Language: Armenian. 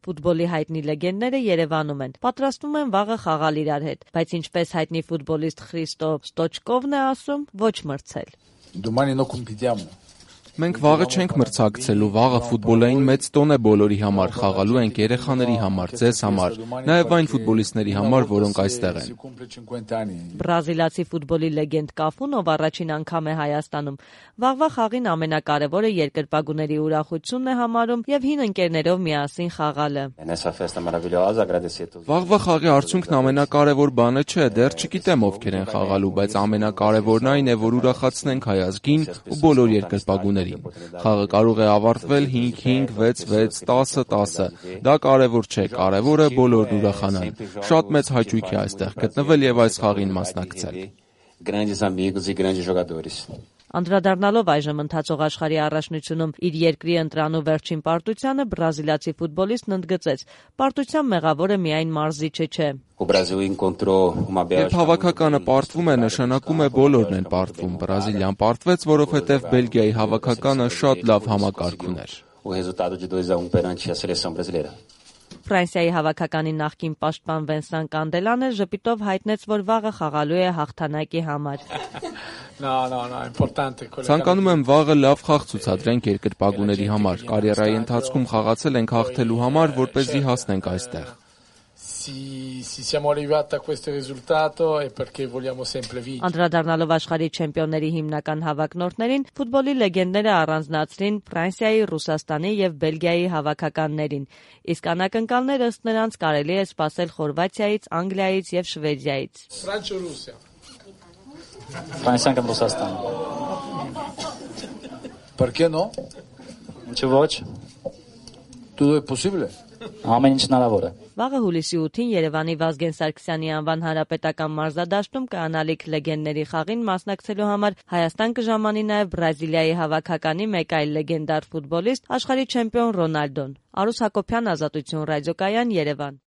Ֆուտբոլի հայտնի լեգենդները Երևանում են, պատրաստվում են վաղը խաղալ իրար հետ, բայց ինչպես հայտնի ֆուտբոլիստ Խրիստո Ստոչկովն է ասում, ոչ մրցել. Մենք վաղը չենք մրցակցելու, վաղը ֆուտբոլային մեծ տոն է բոլորի համար, խաղալու ենք երեխաների համար, ձեզ համար, նաև այն ֆուտբոլիստների համար, որոնք այստեղ են։ Բրազիլացի ֆուտբոլի լեգենդ Կաֆուն, ով առաջին անգամ է Հայաստանում, վաղվա խաղին ամենակարևորը երկրպագուների ուրախությունն է համարում եւ հին ընկերներով միասին խաղալը։ Վաղվա խաղի արդյունքն ամենակարևոր բանը չէ, դեռ չգիտեմ ովքեր են խաղալու, բայց ամենակարևորն այն է, որ ուրախացնենք հայ ազգին ու բոլոր երկրպագուներին։ Խաղը կարող է ավարտվել 5-5, 6-6, 10-10, դա կարևոր չէ, կարևորը բոլորն ուրախանան։ Շատ մեծ հաճույք է այստեղ գտնվել եւ այս խաղին մասնակցել։ Անդրադառնալով այժմ ընթացող աշխարհի առաջնությունում իր երկրի ընտրանու վերջին պարտությանը, բրազիլացի ֆուտբոլիստն ընդգծեց. «Պարտության մեղավորը միայն մարզիչը չէ։ Երբ հավաքականը պարտվում է, նշանակում է բոլորն են պարտվում։ Բրազիլիան պարտվեց, որովհետև Բելգիայի հավաքականը շատ լավ համակարգ ուներ»։ Ֆրանսիայի հավաքականի նախկին պաշտպան Վենսան Կանդելանը ժպիտով հայտնեց, որ վաղը խաղալու է հաղթանակի համար։ Ցանկանում եմ վաղը լավ խաղ ցուցադրենք երկրպագուների համար։ Կարիերայի ընթացքում խաղացել ենք հաղթելու համար, որպեսզի հասնենք այստեղ։ Անդրադառնալով աշխարհի չեմպիոնների հիմնական հավակնորդներին, ֆուտբոլի լեգենդները առանձնացրին Ֆրանսիայի, Ռուսաստանի եւ Բելգիայի հավաքականներին, իսկ անակնկալներ ըստ նրանց կարելի է սպասել Խորվաթիայից, Անգլիայից եւ Շվեդիայից։ Ֆրանսիան կամ Ռուսաստան։ Ինչու ոչ։ Ամեն ինչ հնարավոր է։ Վաղը հուլիսի 8-ին Երևանի Վազգեն Սարգսյանի անվան հանրապետական մարզադաշտում կայանալիք լեգենդների խաղին մասնակցելու համար Հայաստան կժամանի նաև Բրազիլիայի հավաքականի մեկ այլ լեգենդար ֆուտբոլիստ, աշխարհի չեմպիոն Ռոնալդոն։ Արուս Հակոբյան, Ազատություն ռադիոկայան, Երևան։